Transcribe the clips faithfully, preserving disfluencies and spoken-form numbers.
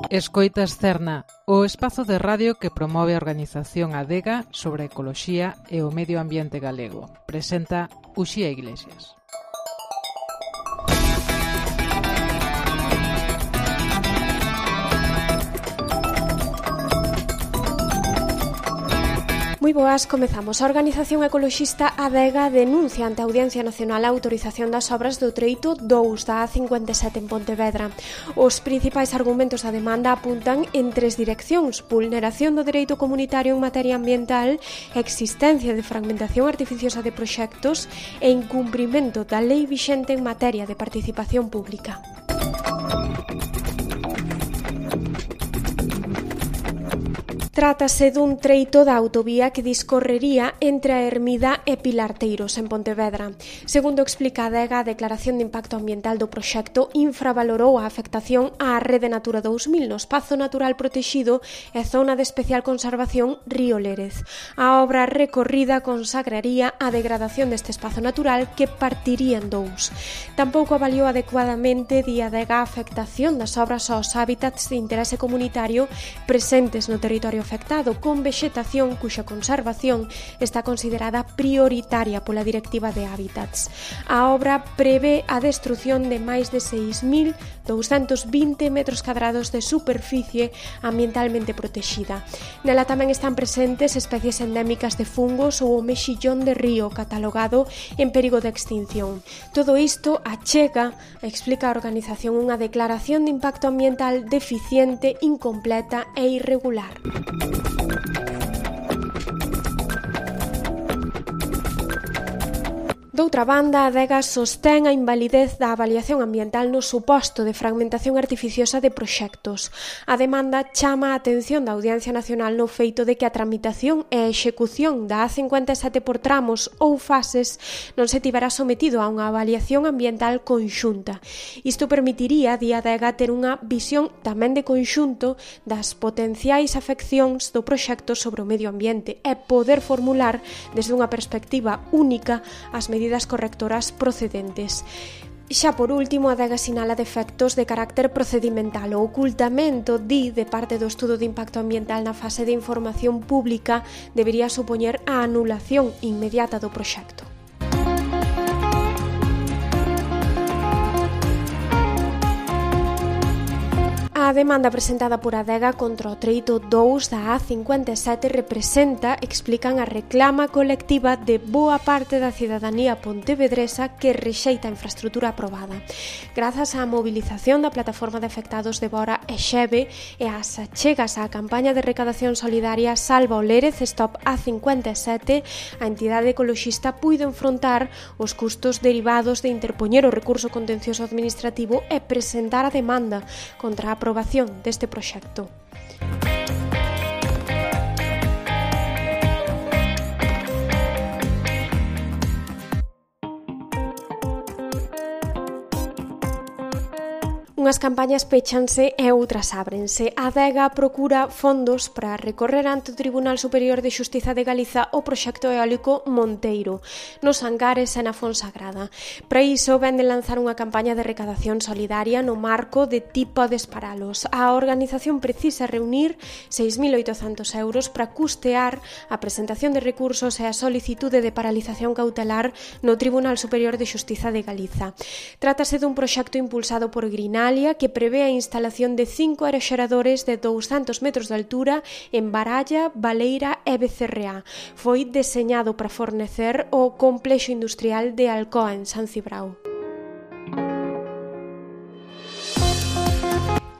Escoitas Cerna, o espazo de radio que promove a organización Adega sobre a ecoloxía e o medio ambiente galego. Presenta Uxía Iglesias. Moi boas, comezamos. A organización ecoloxista Adega denuncia ante a Audiencia Nacional a autorización das obras do treito dous da A cincuenta e sete en Pontevedra. Os principais argumentos da demanda apuntan en tres direccións: vulneración do dereito comunitario en materia ambiental, existencia de fragmentación artificiosa de proxectos e incumprimento da lei vixente en materia de participación pública. Trátase dun treito da autovía que discorrería entre a Ermida e Pilarteiros, en Pontevedra. Segundo explica a Adega, a declaración de impacto ambiental do proxecto infravalorou a afectación á Rede Natura dous mil no espazo natural protexido e zona de especial conservación Río Lérez. A obra recorrida consagraría a degradación deste espazo natural que partiría en dous. Tampouco avaliou adecuadamente, di a Adega, a afectación das obras aos hábitats de interese comunitario presentes no territorio afectado, con vexetación cuxa conservación está considerada prioritaria pola Directiva de Hábitats. A obra prevé a destrución de máis de seis mil douscentos vinte metros cadrados de superficie ambientalmente protexida. Nela tamén están presentes especies endémicas de fungos ou o mexillón de río, catalogado en perigo de extinción. Todo isto achega, explica a organización, unha declaración de impacto ambiental deficiente, incompleta e irregular. Doutra banda, a Adega sostén a invalidez da avaliación ambiental no suposto de fragmentación artificiosa de proxectos. A demanda chama a atención da Audiencia Nacional no feito de que a tramitación e a execución da A cincuenta e sete por tramos ou fases non se tivera sometido a unha avaliación ambiental conxunta. Isto permitiría, di a Adega, ter unha visión tamén de conxunto das potenciais afeccións do proxecto sobre o medio ambiente e poder formular desde unha perspectiva única as medidas correctoras procedentes. Xa por último, a Adega sinala defectos de carácter procedimental. O ocultamento, di, de parte do estudo de impacto ambiental na fase de información pública debería supoñer a anulación inmediata do proxecto. A demanda presentada por Adega contra o treito dous da A cincuenta e sete representa, explican, a reclama colectiva de boa parte da cidadanía pontevedresa que rexeita a infraestrutura aprobada. Grazas á mobilización da plataforma de afectados de Bora e Xeve e ás achegas á campaña de recadación solidaria Salva o Lérez Stop A cincuenta e sete, a entidade ecoloxista puido enfrontar os custos derivados de interpoñer o recurso contencioso administrativo e presentar a demanda contra a aprobación deste proxecto. Unhas campañas pechanse e outras ábrense. A Adega procura fondos para recorrer ante o Tribunal Superior de Xustiza de Galiza o proxecto eólico Monteiro, nos Angares e na Fonsagrada. Para iso, ven de lanzar unha campaña de recadación solidaria no marco de Ti podes paralos. A organización precisa reunir seis mil oitocentos euros para custear a presentación de recursos e a solicitude de paralización cautelar no Tribunal Superior de Xustiza de Galiza. Trátase dun proxecto impulsado por Grinal que prevé a instalación de cinco aeroxeradores de douscentos metros de altura en Baralla, Baleira e Becerreá. Foi deseñado para fornecer o complexo industrial de Alcoa en San Cibrao.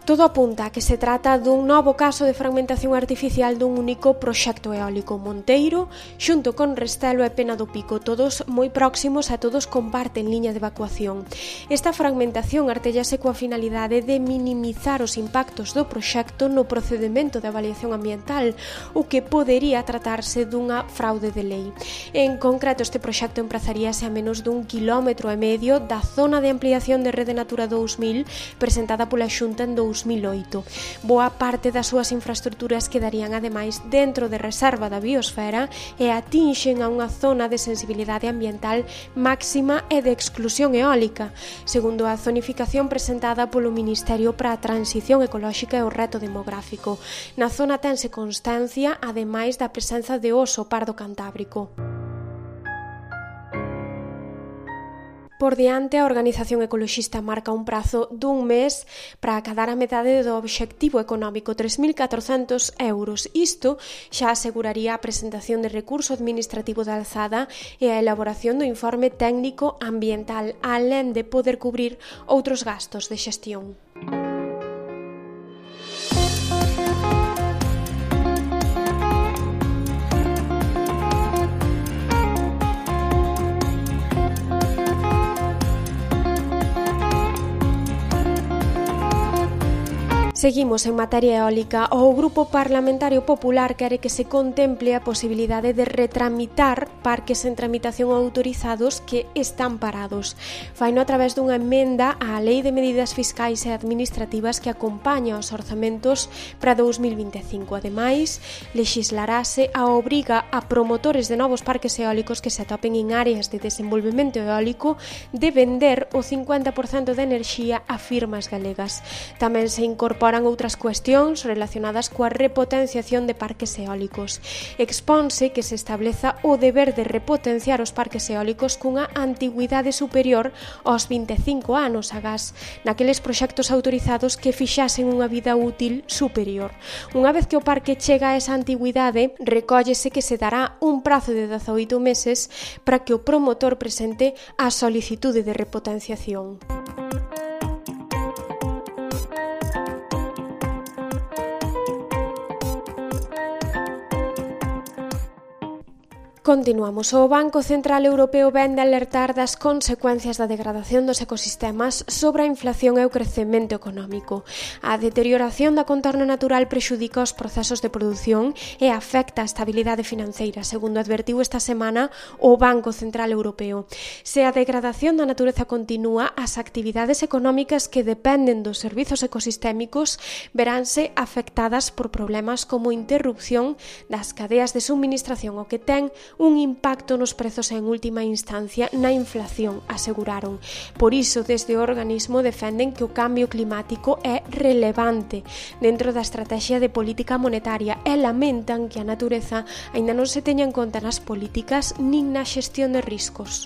Todo apunta a que se trata dun novo caso de fragmentación artificial dun único proxecto eólico. Monteiro, xunto con Restelo e Pena do Pico, todos moi próximos e todos comparten liña de evacuación. Esta fragmentación artéllase coa finalidade de minimizar os impactos do proxecto no procedimento de avaliación ambiental, o que podería tratarse dunha fraude de lei. En concreto, este proxecto emprazaríase a menos dun quilómetro e medio da zona de ampliación de Rede Natura dous mil presentada pola Xunta en dous dous mil oito. Boa parte das súas infraestruturas quedarían ademais dentro de reserva da biosfera e atinxen a unha zona de sensibilidade ambiental máxima e de exclusión eólica, segundo a zonificación presentada polo Ministerio para a Transición Ecolóxica e o Reto Demográfico. Na zona tense constancia, ademais da presenza de oso pardo cantábrico. Por diante, a organización ecoloxista marca un prazo dun mes para acadar a metade do obxectivo económico, tres mil catrocentos euros. Isto xa aseguraría a presentación de recurso administrativo de alzada e a elaboración do informe técnico ambiental, alén de poder cubrir outros gastos de xestión. Seguimos en materia eólica. O Grupo Parlamentario Popular quere que se contemple a posibilidade de retramitar parques en tramitación autorizados que están parados. Faino a través dunha emenda á Lei de Medidas Fiscais e Administrativas que acompaña os orzamentos para dous mil vinte e cinco. Ademais, lexislarase a obriga a promotores de novos parques eólicos que se atopen en áreas de desenvolvemento eólico de vender o cincuenta por cento de enerxía a firmas galegas. Tamén se incorpora outras cuestións relacionadas coa repotenciación de parques eólicos. Exponse que se estableza o deber de repotenciar os parques eólicos cunha antigüidade superior aos vinte e cinco anos agás naqueles proxectos autorizados que fixasen unha vida útil superior. Unha vez que o parque chega a esa antigüidade, recóllese que se dará un prazo de dezaoito meses para que o promotor presente a solicitude de repotenciación. Continuamos. O Banco Central Europeo vén de alertar das consecuencias da degradación dos ecosistemas sobre a inflación e o crecemento económico. A deterioración da contorna natural prexudica os procesos de produción e afecta a estabilidade financeira, segundo advertiu esta semana o Banco Central Europeo. Se a degradación da natureza continúa, as actividades económicas que dependen dos servizos ecosistémicos veránse afectadas por problemas como interrupción das cadeas de suministración, o que ten un impacto nos prezos e en última instancia na inflación, aseguraron. Por iso, desde o organismo defenden que o cambio climático é relevante dentro da estrategia de política monetaria e lamentan que a natureza aínda non se teña en conta nas políticas nin na xestión de riscos.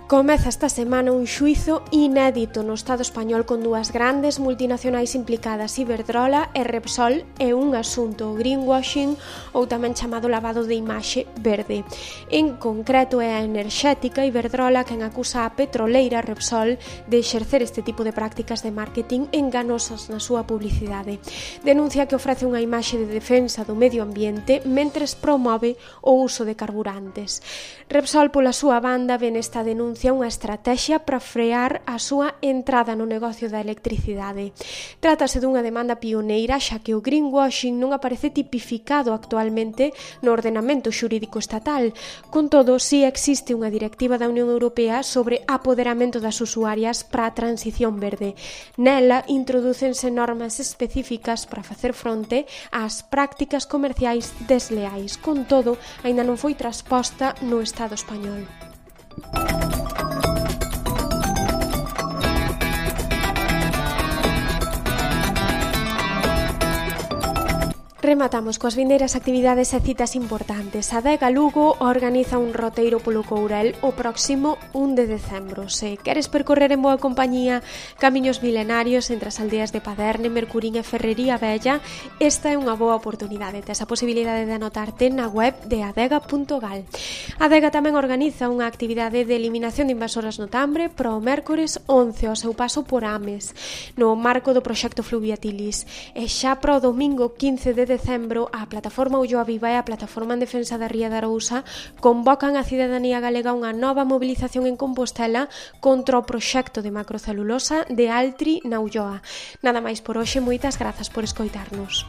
Comeza esta semana un xuízo inédito no Estado español con dúas grandes multinacionais implicadas, Iberdrola e Repsol, e un asunto, greenwashing ou tamén chamado lavado de imaxe verde. En concreto é a enerxética Iberdrola quen acusa a petroleira Repsol de exercer este tipo de prácticas de marketing enganosas na súa publicidade. Denuncia que ofrece unha imaxe de defensa do medio ambiente mentres promove o uso de carburantes. Repsol, pola súa banda, ven esta denuncia unha estrategia para frear a súa entrada no negocio da electricidade. Trátase dunha demanda pioneira, xa que o greenwashing non aparece tipificado actualmente no ordenamento xurídico estatal. Con todo, si existe unha directiva da Unión Europea sobre apoderamento das usuarias para a transición verde. Nela introdúcense normas específicas para facer fronte ás prácticas comerciais desleais. Con todo, aínda non foi transposta no Estado español. Rematamos coas vindeiras actividades e citas importantes. A Adega Lugo organiza un roteiro polo Courel o próximo un de decembro. Se queres percorrer en boa compañía camiños milenarios entre as aldeas de Paderne, Mercurín e Ferrería Vella, esta é unha boa oportunidade. Tes a posibilidade de anotarte na web de adega punto gal. A Adega tamén organiza unha actividade de eliminación de invasoras no Tambre para o mércores once ao seu paso por Ames, no marco do proxecto Fluviatilis. E xa para o domingo quince de decembro, a plataforma Ulloa Viva e a plataforma en defensa da Ría de Arousa convocan a cidadanía galega unha nova mobilización en Compostela contra o proxecto de macrocelulosa de Altri na Ulloa. Nada máis por hoxe, moitas grazas por escoitarnos.